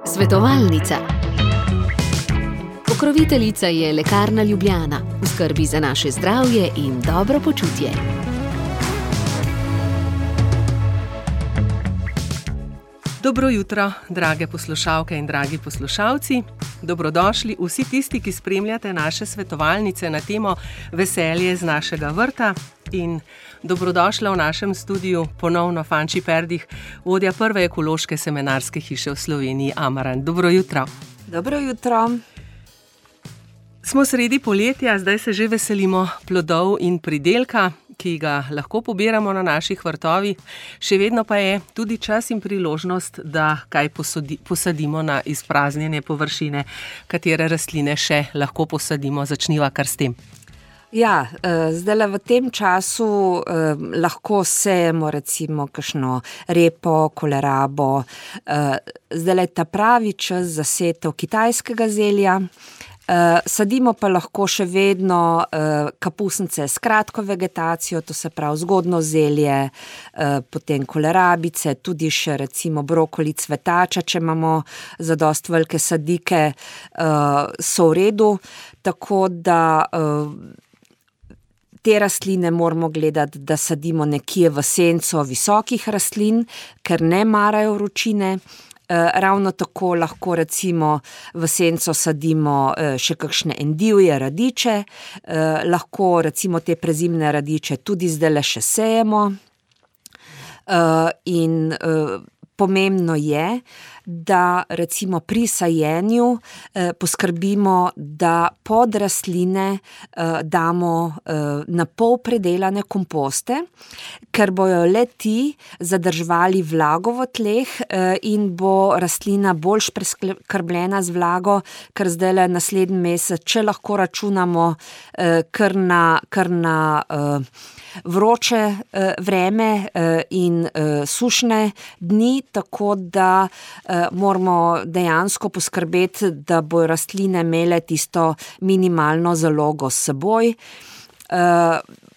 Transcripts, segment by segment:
Svetovalnica. Pokroviteljica je Lekarna Ljubljana, v skrbi za naše zdravje in dobro počutje. Dobro jutro, drage poslušalke in dragi poslušalci. Dobrodošli vsi tisti, ki spremljate naše svetovalnice na temo Veselje z našega vrta. In dobrodošla v našem studiu ponovno Fanči Perdih, vodja prve ekološke semenarske hiše v Sloveniji Amarant. Dobro jutro. Dobro jutro. Smo sredi poletja, zdaj se že veselimo plodov in pridelka, ki ga lahko pobiramo na naših vrtovih. Še vedno pa je tudi čas in priložnost, da kaj posadimo na izpraznjene površine, katere rastline še lahko posadimo. Začniva kar s tem. Ja, zdajle v tem času lahko sejemo recimo kakšno repo, kolerabo. Zdajle je ta pravi čas za setev kitajskega zelja. Sadimo pa lahko še vedno kapusnice s kratko vegetacijo, to se pravi zgodno zelje, potem kolerabice, tudi še recimo brokoli, cvetača, če imamo zadosti velike sadike, so v redu, tako da te rastline moramo gledati, da sadimo nekje v senco visokih rastlin, ker ne marajo vročine. Ravno tako lahko recimo v senco sadimo še kakšne endivje, radiče, lahko recimo te prezimne radiče tudi zdajle še sejemo. In pomembno je, da recimo pri sajenju poskrbimo, da pod rastline damo na pol predelane komposte, ker bojo le ti zadrževali vlago v tleh in bo rastlina bolj preskrbljena z vlago, ker zdajle naslednji mesec, če lahko računamo kar na vroče vreme in sušne dni, tako da moramo dejansko poskrbeti, da bojo rastline imele tisto minimalno zalogo s seboj.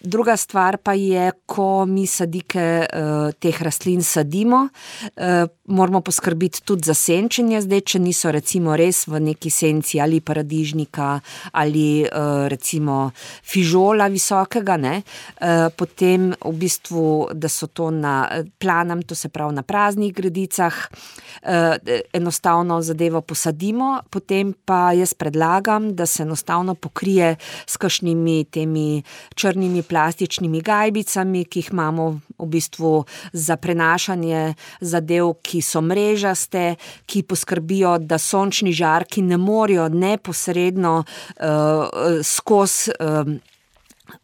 Druga stvar pa je, ko mi sadike teh rastlin sadimo, moramo poskrbiti tudi za senčenje, zdaj, če niso recimo res v neki senci ali paradižnika ali recimo fižola visokega, ne, potem v bistvu, da so to na planem, to se pravi na praznih gredicah, enostavno zadevo posadimo, potem pa jaz predlagam, da se enostavno pokrije s kakšnimi temi črnimi plastičnimi gajbicami, ki jih imamo v bistvu za prenašanje zadev, ki so mrežaste, ki poskrbijo, da sončni žarki ne morejo neposredno skozi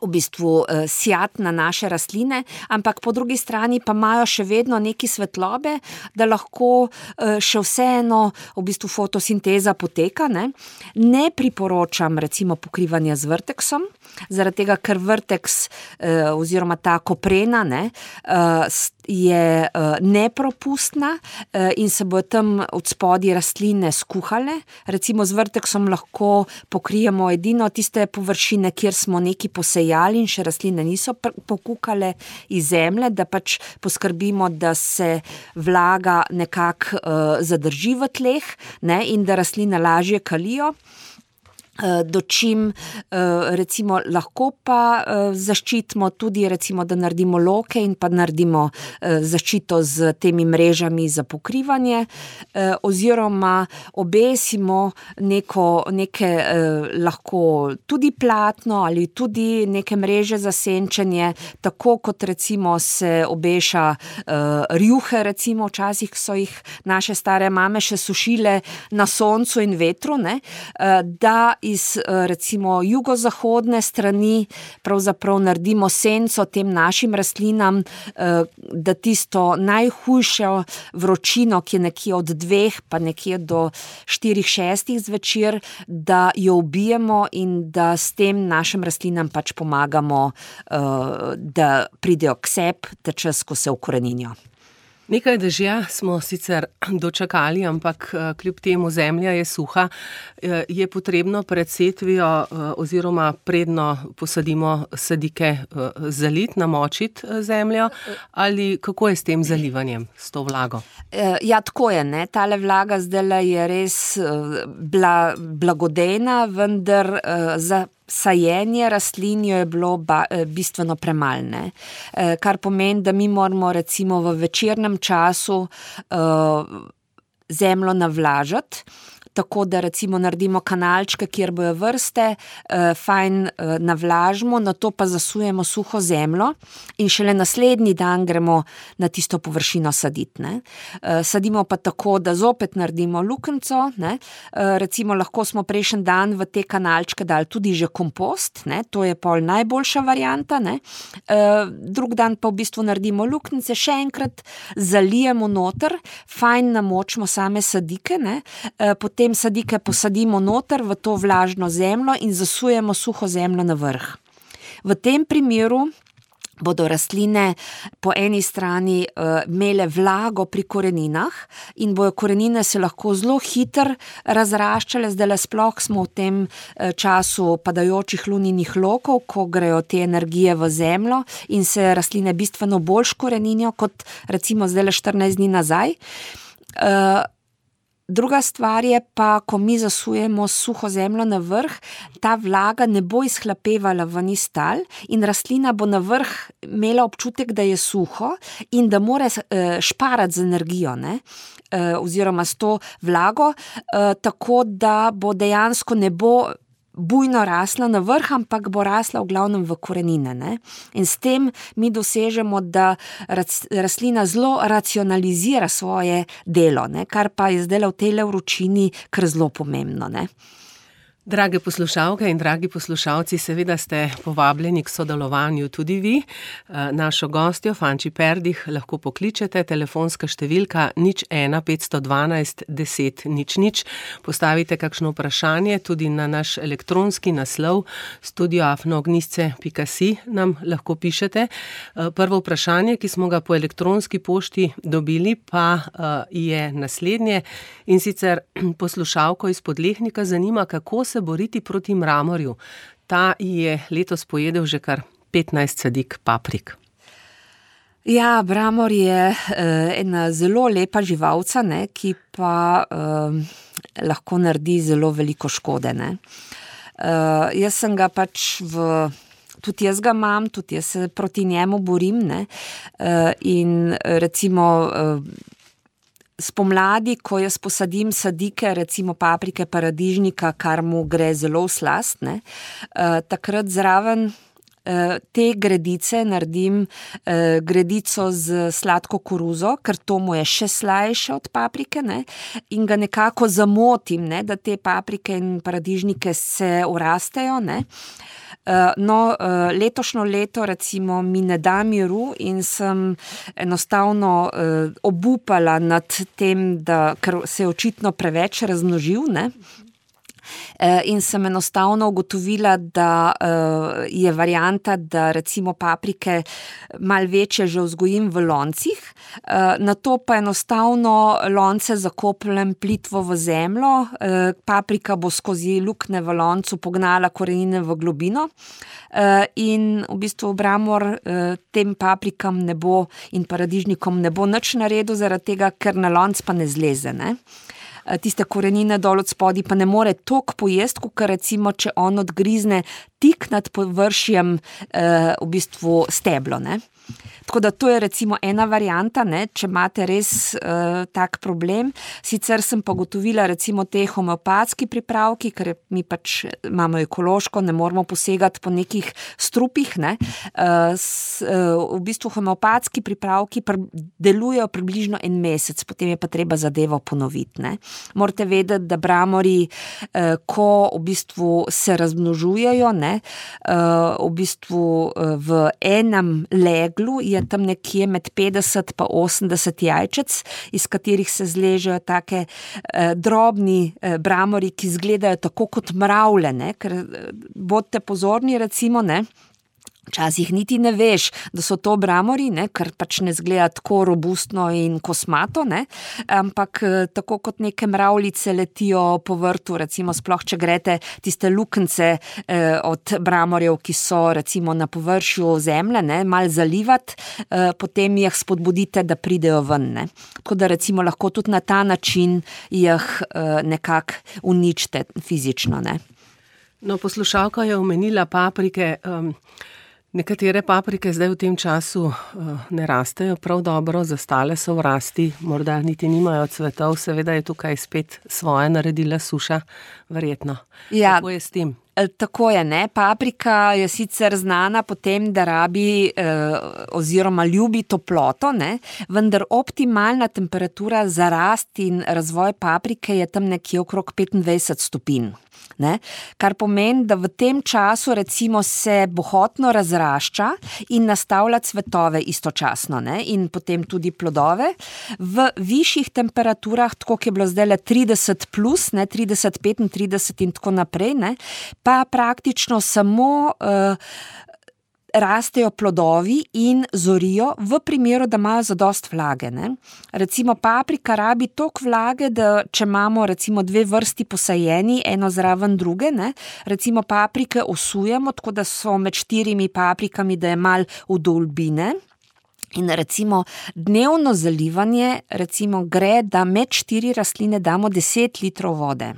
v bistvu sijati na naše rastline, ampak po drugi strani pa imajo še vedno neki svetlobe, da lahko še vseeno v bistvu fotosinteza poteka, ne. Ne priporočam recimo pokrivanja z vrteksom, zaradi tega, ker vrteks oziroma ta koprena, ne, je nepropustna in se bojo tam od spodaj rastline skuhale. Recimo z vrteksom lahko pokrijemo edino tiste površine, kjer smo neki posejali in še rastline niso pokukale iz zemlje, da pač poskrbimo, da se vlaga nekako zadrži v tleh, ne, in da rastline lažje kalijo. Dočim recimo lahko pa zaščitimo tudi recimo, da naredimo loke in pa naredimo zaščito z temi mrežami za pokrivanje, oziroma obesimo neke lahko tudi platno ali tudi neke mreže za senčenje, tako kot recimo se obeša rjuhe, recimo včasih so jih naše stare mame še sušile na soncu in vetru, ne, da iz recimo jugozahodne strani pravzaprav naredimo senco tem našim rastlinam, da tisto najhujšo vročino, ki je nekje od 2 pa nekje do 4-6 zvečer, da jo ubijemo in da s tem našim rastlinam pač pomagamo, da pridejo k sebi ta čas, ko se ukoreninijo. Nekaj dežja smo sicer dočakali, ampak kljub temu zemlja je suha. Je potrebno pred setvijo oziroma predno posadimo sadike zaliti, namočiti zemljo ali kako je s tem zalivanjem, s to vlago? Ja, tako je, ne. Tale vlaga zdajle je res blagodejna, vendar za sajenje rastlin jo je bilo bistveno premalo, ne. Kar pomeni, da mi moramo recimo v večernem času zemljo navlažiti, tako da recimo naredimo kanalčke, kjer bojo vrste, fajn navlažimo, nato pa zasujemo suho zemljo in šele naslednji dan gremo na tisto površino saditi, ne. Sadimo pa tako, da zopet naredimo lukenco, ne. Recimo lahko smo prejšnji dan v te kanalčke dali tudi že kompost, ne, to je pol najboljša varianta, ne. Drug dan pa v bistvu naredimo luknjice, še enkrat zalijemo noter, fajn namočimo same sadike, ne, potem sadike posadimo noter v to vlažno zemljo in zasujemo suho zemljo na vrh. V tem primeru bodo rastline po eni strani imele vlago pri koreninah in bojo korenine se lahko zelo hitro razraščale, zdajle sploh smo v tem času padajočih luninih lokov, ko grejo te energije v zemljo in se rastline bistveno bolj škoreninijo kot recimo zdajle 14 dni nazaj. Druga stvar je pa, ko mi zasujemo suho zemljo na vrh, ta vlaga ne bo izhlapevala ven iz tal in rastlina bo na vrh imela občutek, da je suho in da mora šparati z energijo, ne, oziroma s to vlago, tako da bo dejansko ne bo bujno rasla na vrh, ampak bo rasla v glavnem v korenine, ne. In s tem mi dosežemo, da rastlina zelo racionalizira svoje delo, ne, kar pa je zdajle v tejle vročini kar zelo pomembno, ne. Drage poslušalke in dragi poslušalci, seveda ste povabljeni k sodelovanju tudi vi. Našo gostjo, Fanči Perdih, lahko pokličete, telefonska številka 01 512 10 00. Postavite kakšno vprašanje tudi na naš elektronski naslov studio@ognjisce.si nam lahko pišete. Prvo vprašanje, ki smo ga po elektronski pošti dobili, pa je naslednje, in sicer poslušalko iz Podlehnika zanima, kako se boriti proti mramorju. Ta je letos pojedel že kar 15 sadik paprik. Ja, mramor je ena zelo lepa živalca, ne, ki pa lahko naredi zelo veliko škode, ne. Jaz sem ga pač tudi jaz ga imam, tudi jaz se proti njemu borim, ne, in recimo spomladi, ko jaz posadim sadike, recimo paprike, paradižnika, kar mu gre zelo v slast, ne, takrat zraven te gredice naredim gredico z sladko koruzo, ker to mu je še slajše od paprike, ne, in ga nekako zamotim, ne, da te paprike in paradižnike se urastejo, ne. No, letošnjo leto recimo mi ne da miru in sem enostavno obupala nad tem, ker se je očitno preveč razmnožil, ne. In sem enostavno ugotovila, da je varianta, da recimo paprike malo večje že vzgojim v loncih, nato pa enostavno lonce zakopljem plitvo v zemljo, paprika bo skozi luknje v loncu pognala korenine v globino in v bistvu mramor tem paprikam ne bo in paradižnikom ne bo nič naredil, zaradi tega, ker na lonc pa ne zleze, ne. Tiste korenine dol od spodaj pa ne more toliko pojesti, kot recimo, če on odgrizne tik nad površjem v bistvu steblo, ne. Tako da to je recimo ena varianta, ne, če imate res tak problem. Sicer sem pa ugotovila recimo te homeopatski pripravki, ker mi pač imamo ekološko, ne moramo posegati po nekih strupih, ne. V bistvu homeopatski pripravki delujejo približno en mesec, potem je pa treba zadevo ponoviti, ne. Morate vedeti, da mramorji, ko v bistvu se razmnožujejo, ne, v bistvu v enem leglu je tam nekje med 50 pa 80 jajčec, iz katerih se zležejo take drobni mramorji, ki izgledajo tako kot mravlje, ne, ker bodite pozorni recimo, ne, Včasih niti ne veš, da so to bramori, ne, ker pač ne zgleda tako robustno in kosmato, ne, ampak tako kot neke mravljice letijo po vrtu, recimo sploh, če greste tiste luknjice od bramorjev, ki so recimo na površju zemlje, ne, malo zalivati, potem jih spodbudite, da pridejo ven, ne. Tako da recimo lahko tudi na ta način jih nekako uničite fizično, ne. No, poslušalka je omenila paprike. Nekatere paprike zdaj v tem času ne rastejo prav dobro, zastale so v rasti, morda niti nimajo cvetov, seveda je tukaj spet svoje naredila suša, verjetno. Ja, kako je s tem? Tako je, ne. Paprika je sicer znana po tem, da rabi oziroma ljubi toploto, ne, vendar optimalna temperatura za rast in razvoj paprike je tam nekje okrog 25 stopinj. Ne? Kar pomeni, da v tem času recimo se bohotno razrašča in nastavlja cvetove istočasno, ne? In potem tudi plodove. V višjih temperaturah, tako kot je bilo zdaj 30 plus, ne? 30, 35 in tako naprej, ne? Pa praktično samo rastejo plodovi in zorijo v primeru, da imajo zadost vlage, ne. Recimo paprika rabi toliko vlage, da če imamo recimo 2 vrsti posajeni, eno zraven druge, ne, recimo paprike osujemo, tako da so med 4 paprikami, da je malo vdolbine. In recimo dnevno zalivanje recimo gre, da med 4 rastline damo 10 litrov vode.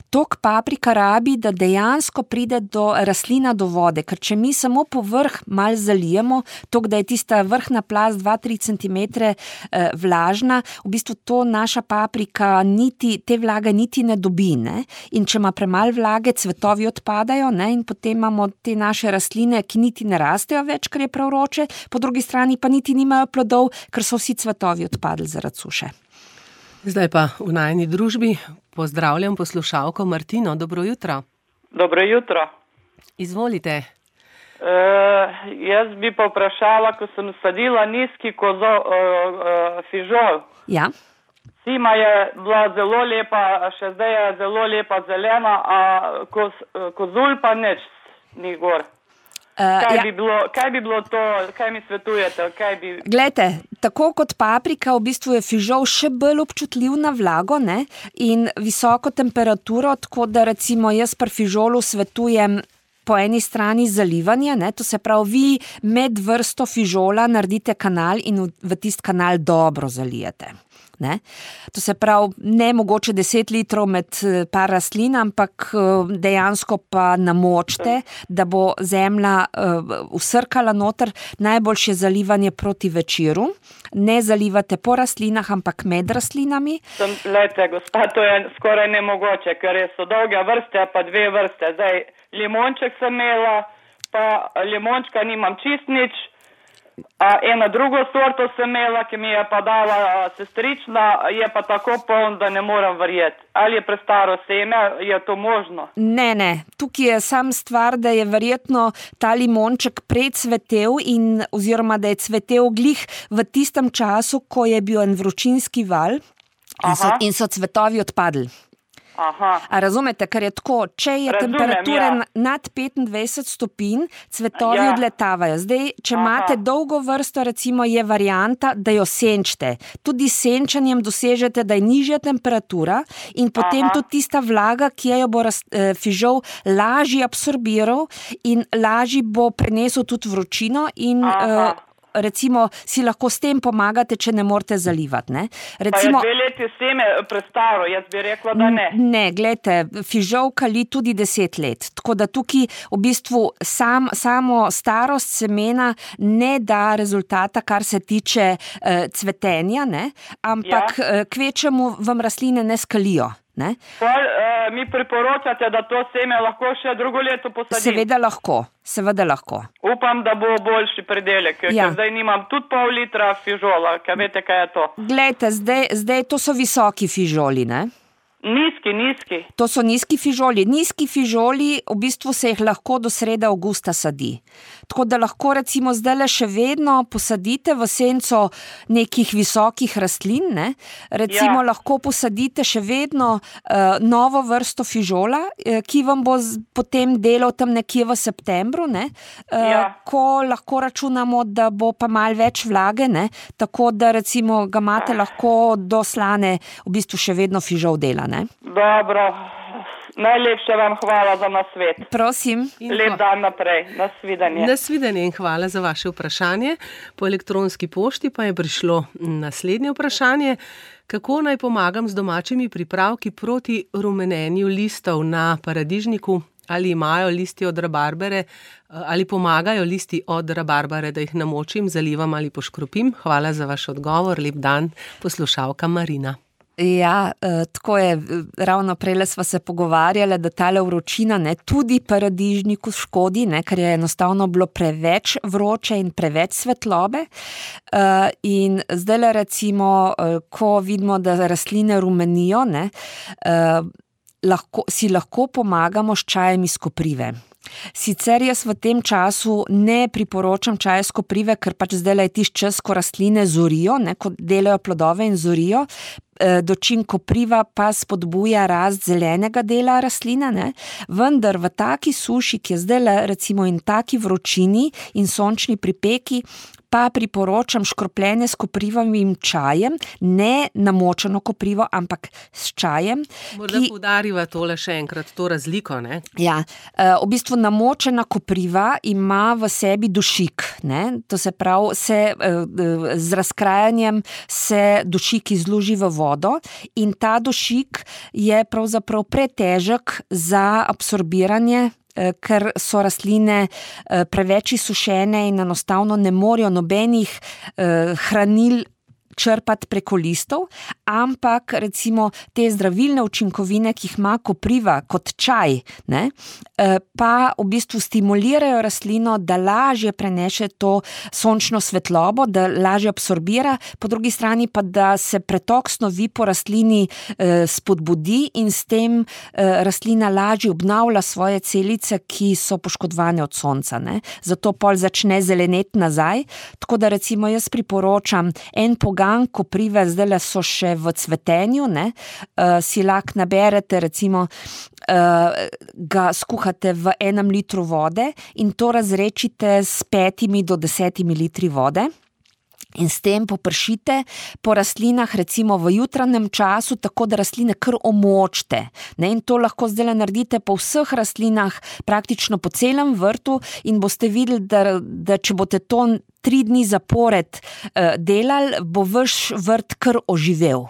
Tok paprika rabi, da dejansko pride do rastlina do vode, ker če mi samo povrh malo zalijemo, tok, da je tista vrhna plast 2-3 centimetre vlažna, v bistvu to naša paprika te vlage niti ne dobi, ne. In če ima premalo vlage, cvetovi odpadajo, ne, in potem imamo te naše rastline, ki niti ne rastejo več, ker je prav vroče, po drugi strani pa niti nimajo plodov, ker so vsi cvetovi odpadli zaradi suše. Zdaj pa v najini družbi pozdravljam poslušalko Martino. Dobro jutro. Dobro jutro. Izvolite. Jaz bi pa vprašala, ko sem sadila nizki fižol. Ja. Zima je bila zelo lepa, še zdaj je zelo lepa zelena, a kozulj pa nič ni gor. Kaj bi bilo to, kaj mi svetujete? Glejte, tako kot paprika, v bistvu je fižol še bolj občutljiv na vlago, ne, in visoko temperaturo, tako da recimo jaz pri fižolu svetujem po eni strani zalivanje, ne, to se pravi, vi med vrsto fižola naredite kanal in v tist kanal dobro zalijete. Ne? To se pravi, ne mogoče 10 litrov med par rastlin, ampak dejansko pa namočite, da bo zemlja vsrkala noter. Najboljše zalivanje proti večeru. Ne zalivate po rastlinah, ampak med rastlinami. Lejte, gospa, to je skoraj nemogoče, ker so dolge vrste, pa 2 vrste. Zdaj, limonček sem imela, pa limončka nimam čist nič. Eno drugo sorto sem imela, ki mi je pa dala sestrična, je pa tako poln, da ne moram verjeti. Ali je prestaro seme, je to možno? Ne. Tukaj je sam stvar, da je verjetno ta limonček predcvetel oziroma da je cvetel glih v tistem času, ko je bil en vročinski val in so cvetovi odpadli. Aha. A razumete, ker je tako, če je temperatura nad 25 stopinj, cvetovi odletavajo. Zdaj, če imate dolgo vrsto, recimo je varianta, da jo senčite. Tudi s senčanjem dosežete, da je nižja temperatura in potem tudi tista vlaga, ki jo bo fižol lažje absorbiral in lažje bo prenesel tudi vročino in recimo si lahko s tem pomagate, če ne morete zalivati, ne. Recimo, pa je 2 leti seme prestaro, jaz bi rekla, da ne. Ne, glejte, fižol kali tudi 10 let, tako da tukaj v bistvu samo starost semena ne da rezultata, kar se tiče cvetenja, ne, ampak kvečemu vam rastline ne skalijo. Ne? Mi priporočate, da to seme lahko še drugo leto posadim? Seveda lahko. Upam, da bo boljši pridelek, ker zdaj nimam tudi pol litra fižola, ker veste, kaj je to. Glejte, zdaj to so visoki fižoli, ne? Nizki. To so nizki fižoli. Nizki fižoli, v bistvu se jih lahko do srede avgusta sadi. Tako da lahko recimo zdajle še vedno posadite v senco nekih visokih rastlin, ne? Recimo lahko posadite še vedno novo vrsto fižola, ki vam bo potem delal tam nekje v septembru, ne? Ko lahko računamo, da bo pa malo več vlage, ne? Tako da recimo ga imate lahko do slane v bistvu še vedno fižol dela, ne? Dobro. Najlepše vam hvala za nasvet. Prosim. Lep dan naprej. Nasvidenje. Nasvidenje in hvala za vaše vprašanje. Po elektronski pošti pa je prišlo naslednje vprašanje. Kako naj pomagam z domačimi pripravki proti rumenenju listov na paradižniku? Ali imajo listi od rabarbere, ali pomagajo listi od rabarbere, da jih namočim, zalivam ali poškropim? Hvala za vaš odgovor. Lep dan, poslušalka Marina. Ja, tako je, ravno prejle sva se pogovarjala, da tale vročina tudi paradižniku škodi, ker je enostavno bilo preveč vroče in preveč svetlobe. In zdajle recimo, ko vidimo, da rastline rumenijo, si lahko pomagamo s čajem iz koprive. Sicer jaz v tem času ne priporočam čaja iz koprive, ker pač zdajle je tisti čas, ko rastline zorijo, ko delajo plodove in zorijo, dočim kopriva pa spodbuja rast zelenega dela rastline, vendar v taki suši, ki je zdajle recimo in taki vročini in sončni pripeki, pa priporočam škropljenje s koprivovim čajem, ne namočeno koprivo, ampak s čajem. Morda poudariva tole še enkrat, to razliko, ne? Ja, v bistvu namočena kopriva ima v sebi dušik, to se pravi, z razkrajanjem se dušik izluži v vodo in ta dušik je pravzaprav pretežek za absorbiranje, ker so rastline preveč izsušene in enostavno ne morejo nobenih hranil črpati preko listov, ampak recimo te zdravilne učinkovine, ki jih ima kopriva kot čaj, pa v bistvu stimulirajo rastlino, da lažje prenese to sončno svetlobo, da lažje absorbira, po drugi strani pa, da se pretok snovi po rastlini spodbudi in s tem rastlina lažje obnavlja svoje celice, ki so poškodovane od sonca. Zato pol začne zeleneti nazaj, tako da recimo jaz priporočam en pogan koprive, zdajle so še v cvetenju, si lahko naberete, recimo ga skuhate v 1 litru vode in to razrečite s 5 do 10 litri vode. In s tem popršite po rastlinah recimo v jutranjem času, tako da rastline kar omočite. In to lahko zdaj naredite po vseh rastlinah, praktično po celem vrtu in boste videli, da če boste to 3 dni zapored delali, bo vaš vrt kar oživel.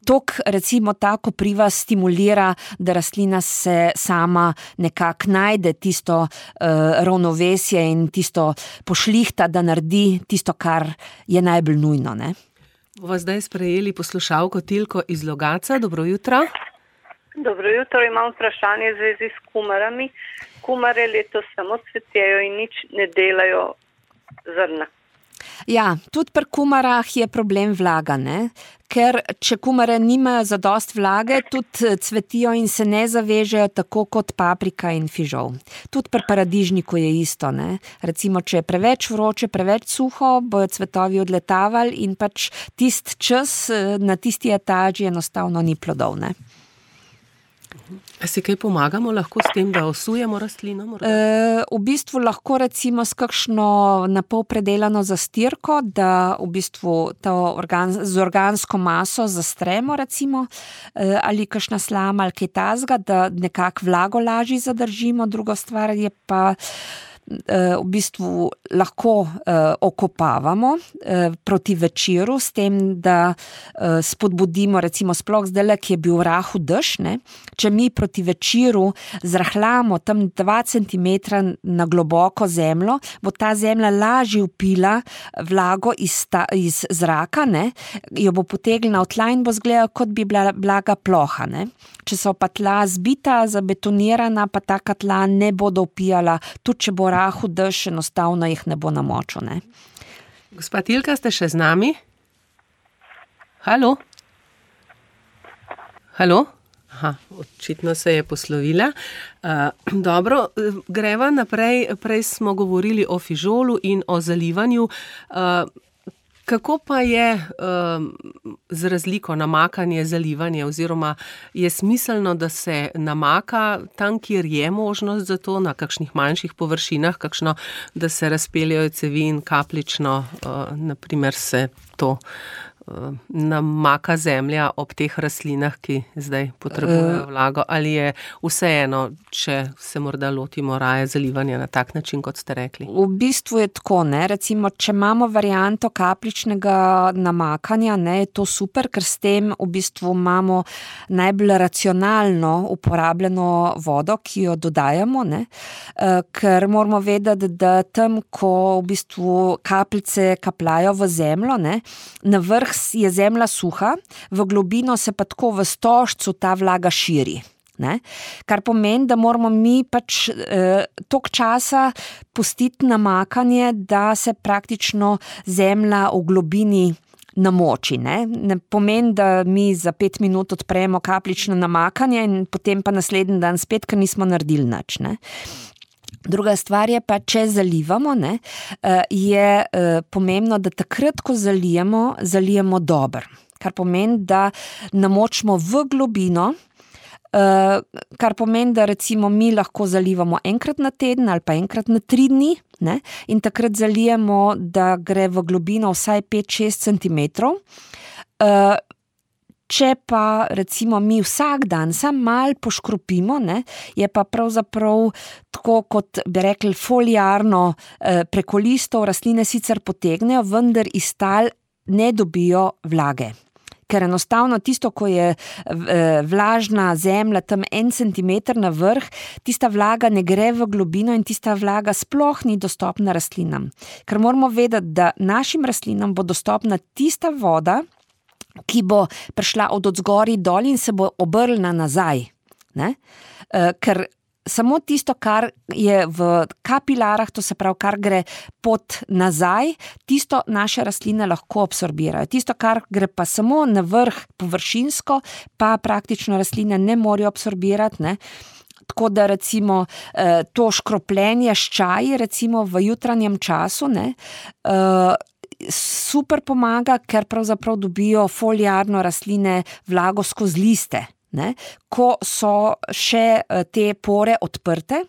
Tok recimo ta kopriva stimulira, da rastlina se sama nekako najde tisto ravnovesje in tisto pošlihta, da naredi tisto, kar je najbolj nujno. Bova zdaj sprejeli poslušalko Tilko iz Logatca. Dobro jutro. Dobro jutro, imam vprašanje v zvezi s kumarami. Kumare letos samo cvetejo in nič ne delajo zrna. Ja, tudi pri kumarah je problem vlaga, ker če kumare nimajo zadost vlage, tudi cvetijo in se ne zavežejo tako kot paprika in fižol. Tudi pri paradižniku je isto, Recimo, če je preveč vroče, preveč suho, bojo cvetovi odletavali in pač tisti čas na tisti etaži enostavno ni plodov, A si kaj pomagamo lahko s tem, da osujemo rastlino? V bistvu lahko recimo s kakšno napol predelano zastirko, da v bistvu z organsko maso zastremo recimo, ali kakšna slama ali kaj tazga, da nekako vlago lažje zadržimo. Druga stvar je pa v bistvu lahko okopavamo proti večeru s tem, da spodbudimo recimo sploh zdajle, ki je bil v rahu dež, če mi proti večeru zrahljamo tam 2 centimetra na globoko zemljo, bo ta zemlja lažje vpila vlago iz zraka, jo bo potegnila v tla in bo izgledala, kot bi bila blaga ploha. Če so pa tla zbita, zabetonirana, pa taka tla ne bodo vpijala, tudi če bo rahu dež, enostavno jih ne bo namočil. Gospa Tilka, ste še z nami? Halo? Halo? Očitno se je poslovila. Dobro, greva naprej. Prej smo govorili o fižolu in o zalivanju. Kako pa je z razliko namakanje, zalivanje, oziroma je smiselno, da se namaka tam, kjer je možnost za to, na kakšnih manjših površinah, kakšno, da se razpeljajo cevi in kapljično, naprimer se to namaka zemlja ob teh rastlinah, ki zdaj potrebujejo vlago, ali je vseeno, če se morda lotimo raje zalivanja na tak način, kot ste rekli? V bistvu je tako, ne, recimo, če imamo varianto kapljičnega namakanja, ne, je to super, ker s tem v bistvu imamo najbolj racionalno uporabljeno vodo, ki jo dodajamo, ne, ker moramo vedeti, da tam, ko v bistvu kapljice kapljajo v zemljo, ne, na vrh je zemlja suha, v globino se pa tako v stožcu ta vlaga širi. Ne? Kar pomeni, da moramo mi pač toliko časa pustiti namakanje, da se praktično zemlja v globini namoči. Ne pomeni, da mi za 5 minut odpremo kapljično namakanje in potem pa naslednji dan spet, ker nismo naredili nič. Ne? Druga stvar je pa, če zalivamo, ne, je pomembno, da takrat, ko zalijemo dobro. Kar pomeni, da namočimo v globino, kar pomeni, da recimo mi lahko zalivamo enkrat na teden ali pa enkrat na 3 dni, ne, in takrat zalijemo, da gre v globino vsaj 5-6 centimetrov. Če pa recimo mi vsak dan sam malo poškropimo, ne, je pa pravzaprav tako, kot bi rekli, foliarno preko listov rastline sicer potegnejo, vendar iz tal ne dobijo vlage. Ker enostavno tisto, ko je vlažna zemlja tam 1 centimeter na vrh, tista vlaga ne gre v globino in tista vlaga sploh ni dostopna rastlinam. Ker moramo vedeti, da našim rastlinam bo dostopna tista voda, ki bo prišla od odzgori dol in se bo obrnila nazaj. Ne? Ker samo tisto, kar je v kapilarah, to se pravi, kar gre pot nazaj, tisto naše rastline lahko absorbirajo. Tisto, kar gre pa samo na vrh površinsko, pa praktično rastline ne morejo absorbirati, ne? Tako da recimo to škropljenje s čaji, recimo v jutranjem času, ne, super pomaga, ker pravzaprav dobijo foliarno rastline vlago skozi liste, ne, ko so še te pore odprte.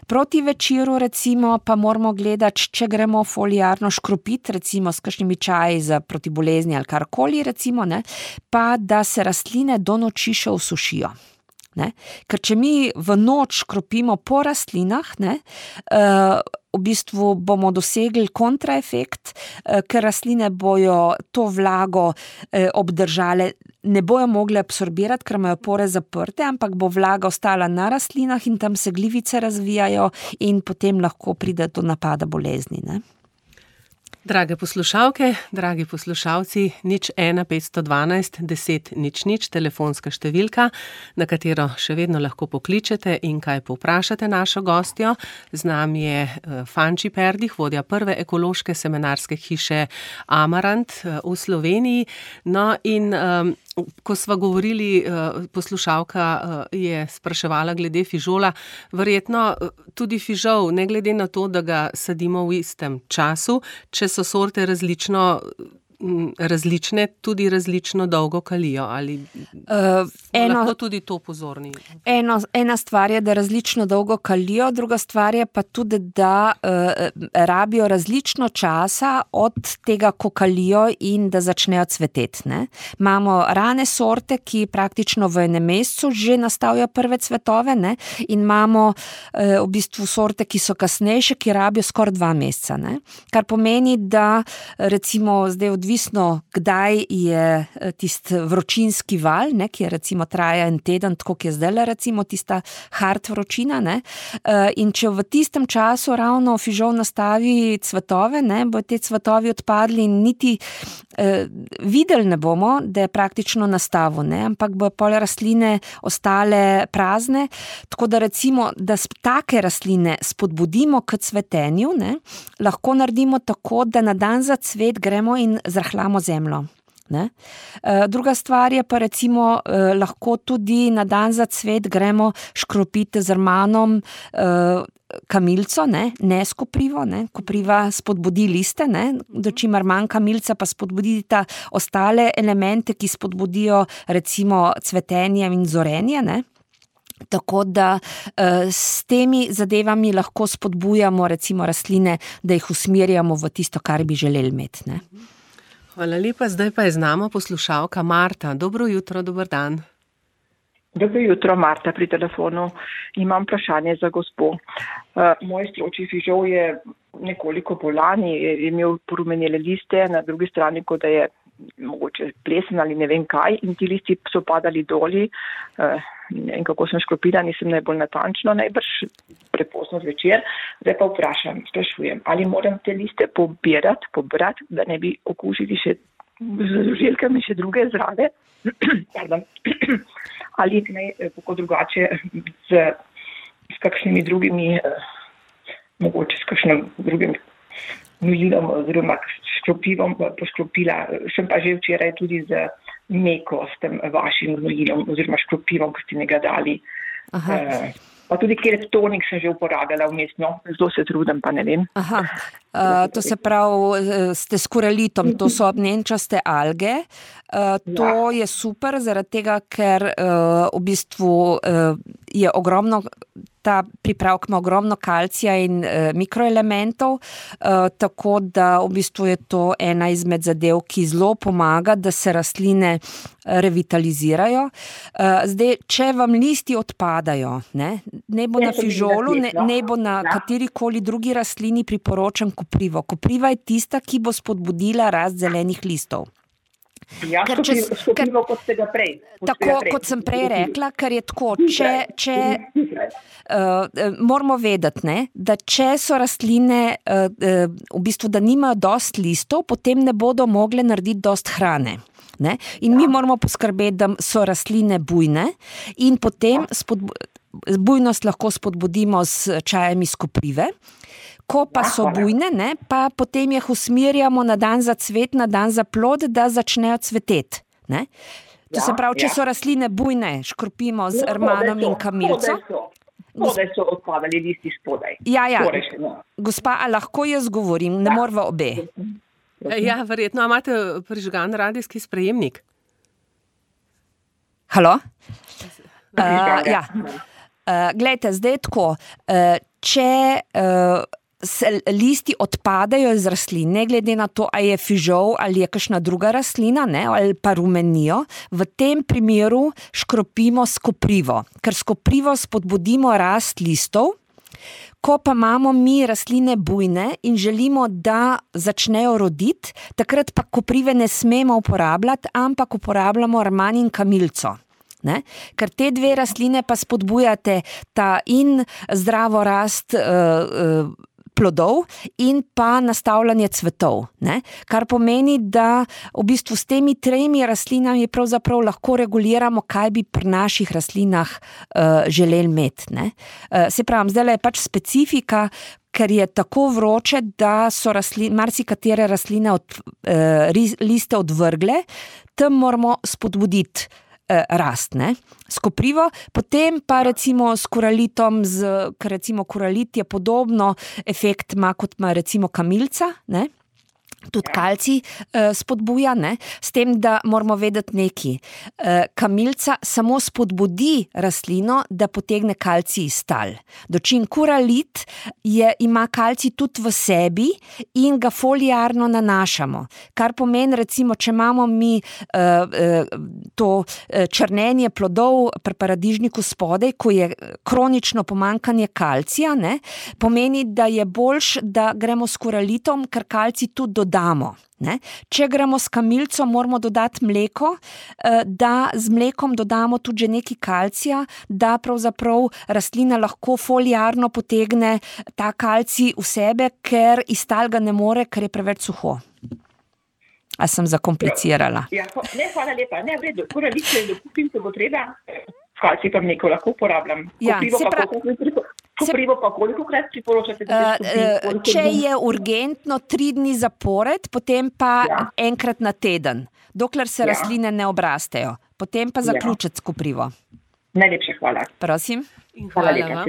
Proti večeru recimo pa moramo gledati, če gremo foliarno škropiti, recimo s kakšnimi čaji za proti bolezni ali karkoli, recimo, ne, pa da se rastline do noči še osušijo. Ne? Ker če mi v noč škropimo po rastlinah, ne, v bistvu bomo dosegli kontraefekt, ker rastline bojo to vlago obdržale, ne bojo mogle absorbirati, ker imajo pore zaprte, ampak bo vlaga ostala na rastlinah in tam se glivice razvijajo in potem lahko pride do napada bolezni. Ne? Drage poslušalke, dragi poslušalci, 01 512 10 00, telefonska številka, na katero še vedno lahko pokličete in kaj povprašate našo gostjo. Z nami je Fanči Perdih, vodja prve ekološke semenarske hiše Amarant v Sloveniji. No in ko sva govorili, poslušalka je spraševala glede fižola, verjetno tudi fižol, ne glede na to, da ga sadimo v istem času, če so sorte različne, tudi različno dolgo kalijo, ali lahko tudi to pozorni? Ena stvar je, da različno dolgo kalijo, druga stvar je pa tudi, da rabijo različno časa od tega, ko kalijo in da začnejo cveteti. Ne? Imamo rane sorte, ki praktično v enem mesecu že nastavijo prve cvetove, ne? In imamo v bistvu sorte, ki so kasnejše, ki rabijo skoraj 2 meseca. Ne? Kar pomeni, da recimo zdaj odvisno, kdaj je tisti vročinski val, ne, ki je recimo traja 1 teden, tako ki je zdaj recimo tista hard vročina, ne, in če v tistem času ravno fižol nastavi cvetove, ne, bo te cvetovi odpadli in niti videli ne bomo, da je praktično nastavil, ne, ampak bo pol rastline ostale prazne, tako da recimo, da take rastline spodbudimo k cvetenju, ne, lahko naredimo tako, da na dan za cvet gremo in zrahljamo zemljo. Ne? Druga stvar je pa recimo lahko tudi na dan za cvet gremo škropiti z rmanom kamilico, ne s koprivo, ne? Kopriva spodbudi liste, ne? Dočim rman kamilica pa spodbudita ostale elemente, ki spodbudijo recimo cvetenje in zorenje, ne? Tako da s temi zadevami lahko spodbujamo recimo rastline, da jih usmerjamo v tisto, kar bi želeli imeti, ne? Hvala lepa, zdaj pa je z nami poslušalka Marta. Dobro jutro, dober dan. Dobro jutro, Marta pri telefonu. Imam vprašanje za gospo. Moj stročji fižol je nekoliko bolan, je imel porumenele liste, na drugi strani, kot da je mogoče plesen ali ne vem kaj, in ti listi so padali doli. In kako sem škropila, nisem najbolj natančno, najbrž prepozno zvečer. Zdaj pa sprašujem, ali moram te liste pobrati, da ne bi okužili še z žuželkami še druge zrade, ali ne, kako drugače s kakšnimi drugimi, mogoče s kakšnim drugim gnojilom oziroma škropivom poškropila. Sem pa že včeraj tudi z meko s tem vašim gnojilom oziroma škropivom, ki ste mi ga dali. Pa tudi keleptonik sem že uporabljala vmesno, zelo se trudim, pa ne vem. To se pravi, ste s koralitom, to so ognjenčaste alge. To je super, zaradi tega, ker v bistvu je ogromno, ta pripravek ima ogromno kalcija in mikroelementov, tako da v bistvu je to ena izmed zadev, ki zelo pomaga, da se rastline revitalizirajo. Zdaj, če vam listi odpadajo, ne bo na fižolu, ne bo na katerikoli drugi rastlini, priporočam koprivo. Kopriva je tista, ki bo spodbudila rast zelenih listov. Ja, skoprivo kot ste ga prej. Tako, kot sem prej rekla, ker je tako, moramo vedeti, da če so rastline, v bistvu, da nimajo dost listov, potem ne bodo mogle narediti dost hrane. Ne? In mi moramo poskrbeti, da so rastline bujne in potem bujnost lahko spodbudimo s čajem iz koprive. Ko pa so bujne, pa potem jih usmerjamo na dan za cvet, na dan za plod, da začnejo cveteti. To se pravi, če so rastline bujne, škropimo z rmanom in kamilico. Spodaj so odpadali listi spodaj. Ja. Gospa, a lahko jaz govorim, ne morava obe. Ja, verjetno. A imate prižgan radijski sprejemnik? Halo? Ja. Glejte, zdaj tako, če listi odpadajo iz rastlin, ne glede na to, ali je fižol ali je kakšna druga rastlina, ali pa rumenijo, v tem primeru škropimo s koprivo, ker s koprivo spodbudimo rast listov. Ko pa imamo mi rastline bujne in želimo, da začnejo roditi, takrat pa koprive ne smemo uporabljati, ampak uporabljamo rman in kamilico. Ker te dve rastline pa spodbujate ta in zdravo rast plodov in pa nastavljanje cvetov. Kar pomeni, da v bistvu s temi tremi rastlinami pravzaprav lahko reguliramo, kaj bi pri naših rastlinah želeli imeti. Se pravim, zdaj je pač specifika, ker je tako vroče, da so marsikatere rastline liste odvrgle, tam moramo spodbuditi rast, s koprivo, potem pa recimo s koralitom, ker recimo koralit je podobno efekt ima, kot ima recimo kamilica, tudi kalcij spodbuja, s tem, da moramo vedeti nekaj. Kamilica samo spodbudi rastlino, da potegne kalcij iz tal. Dočim koralit ima kalcij tudi v sebi in ga foliarno nanašamo. Kar pomeni, recimo, če imamo mi to črnenje plodov pri paradižniku spodaj, ko je kronično pomanjkanje kalcija, pomeni, da je boljš, da gremo s koralitom, ker kalcij tudi dodamo. Če gremo s kamilico, moramo dodati mleko, da z mlekom dodamo tudi že nekaj kalcija, da pravzaprav rastlina lahko foliarno potegne ta kalcij v sebe, ker iz tal ga ne more, ker je preveč suho. A sem zakomplicirala? Ja, ne, hvala lepa. Ne, v redu, koralice kupim, ko bo treba. Kalcij pa mleko lahko uporabljam. Ja, Koprivo pa kolikokrat priporočate? Če je urgentno 3 dni zapored, potem pa enkrat na teden, dokler se rastline ne obrastejo. Potem pa zaključiti s koprivo. Najlepša hvala. Prosim. In hvala vam.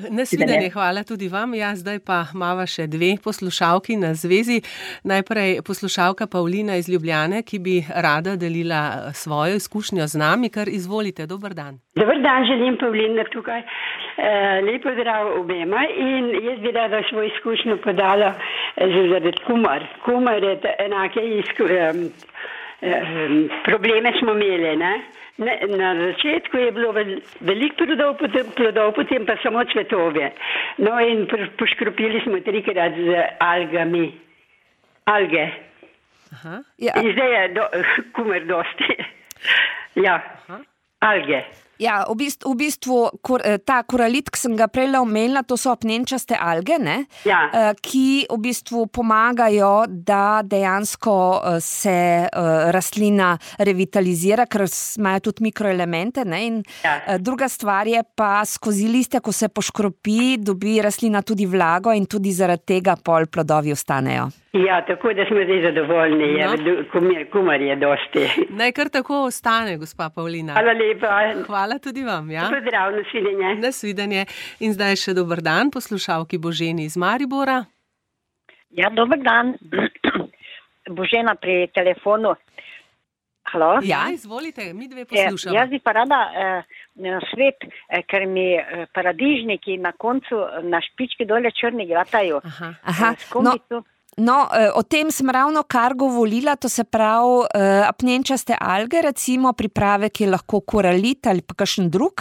Nasvidenje, hvala tudi vam. Ja, zdaj pa imava še 2 poslušalki na zvezi. Najprej poslušalka Pavlina iz Ljubljane, ki bi rada delila svojo izkušnjo z nami, kar izvolite. Dober dan. Dober dan, želim Pavlina tukaj. Lep pozdrav obema in jaz bi rada svojo izkušnjo podala zaradi kumar. Kumar je enake probleme smo imeli, ne? Na začetku je bilo veliko plodov, potem pa samo cvetove. No in poškropili smo 3-krat z algami. Alge. Aha. Ja. In zdaj je kumar dosti. Ja, alge. Ja, v bistvu ta koralit, ki sem ga prej omenila, to so apnenčaste alge, ne? Ja. Ki v bistvu pomagajo, da dejansko se rastlina revitalizira, ker imajo tudi mikroelemente, ne? In druga stvar je pa skozi liste, ko se poškropi, dobi rastlina tudi vlago in tudi zaradi tega pol plodovi ostanejo. Ja, tako da smo zdaj zadovoljni, kumar je dosti. Naj kar tako ostane, gospa Pavlina. Hvala lepa. Hvala tudi vam, ja. Pozdrav, nasvidenje. Nasvidenje. In zdaj še dober dan poslušalki Boženi iz Maribora. Ja, dober dan. Božena pri telefonu. Halo? Ja, izvolite, mi 2 poslušamo. Jaz bi pa rada svet, ker mi paradižniki na koncu na špički dole črni gratajo. Aha. No, o tem sem ravno kar govorila, to se pravi apnenčaste alge, recimo pripravek je lahko koralit ali pa kakšen drug,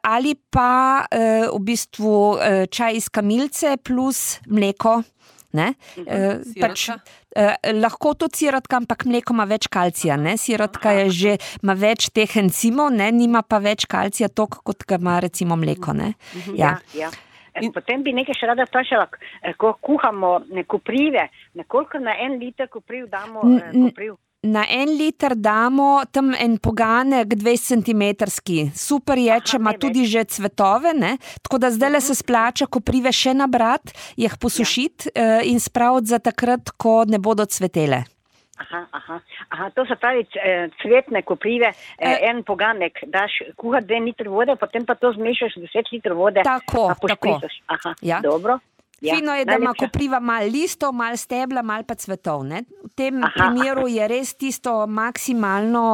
ali pa v bistvu čaj iz kamilice plus mleko. Ne? Lahko tudi sirotka, ampak mleko ima več kalcija. Ne? Sirotka ima več teh encimov, ne? Nima pa več kalcija toliko, kot ga ima recimo mleko. Ne? Ja. Potem bi nekaj še rada vprašala, ko kuhamo koprive, nekoliko na 1 liter kopriv damo kopriv? Na 1 liter damo tam en poganek 20 centimetrski. Super je, če ima tudi že cvetove, ne? Tako da zdaj se splača koprive še nabrati, jih posušiti in spraviti za takrat, ko ne bodo cvetele. Aha, to se pravi cvetne koprive, 1 poganek, daš kuhati 2 liter vode, potem pa to zmešaš 10 liter vode. Tako. Aha, dobro. Ja, fino je, da ima kopriva malo listov, malo stebla, malo pa cvetov. Ne? V tem primeru je res tisto maksimalno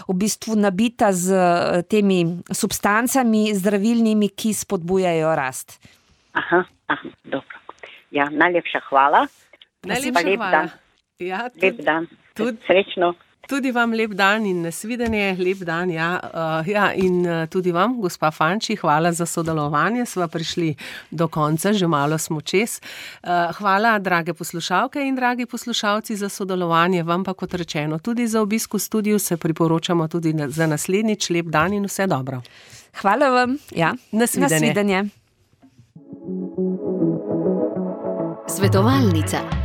v bistvu nabita z temi substancami zdravilnimi, ki spodbujajo rast. Aha, dobro. Ja, najlepša hvala. Najlepša hvala. Ja, lep dan. Srečno. Tudi vam lep dan in nasvidenje, lep dan, in tudi vam, gospa Fanči, hvala za sodelovanje, sva prišli do konca, že malo smo čez. Hvala, drage poslušalke in dragi poslušalci, za sodelovanje, vam pa kot rečeno, tudi za obisk v studiu se priporočamo tudi za naslednjič, lep dan in vse dobro. Hvala vam, nasvidenje. Svetovalnica.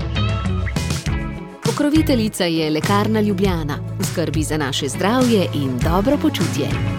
Pokroviteljica je Lekarna Ljubljana. V skrbi za naše zdravje in dobro počutje.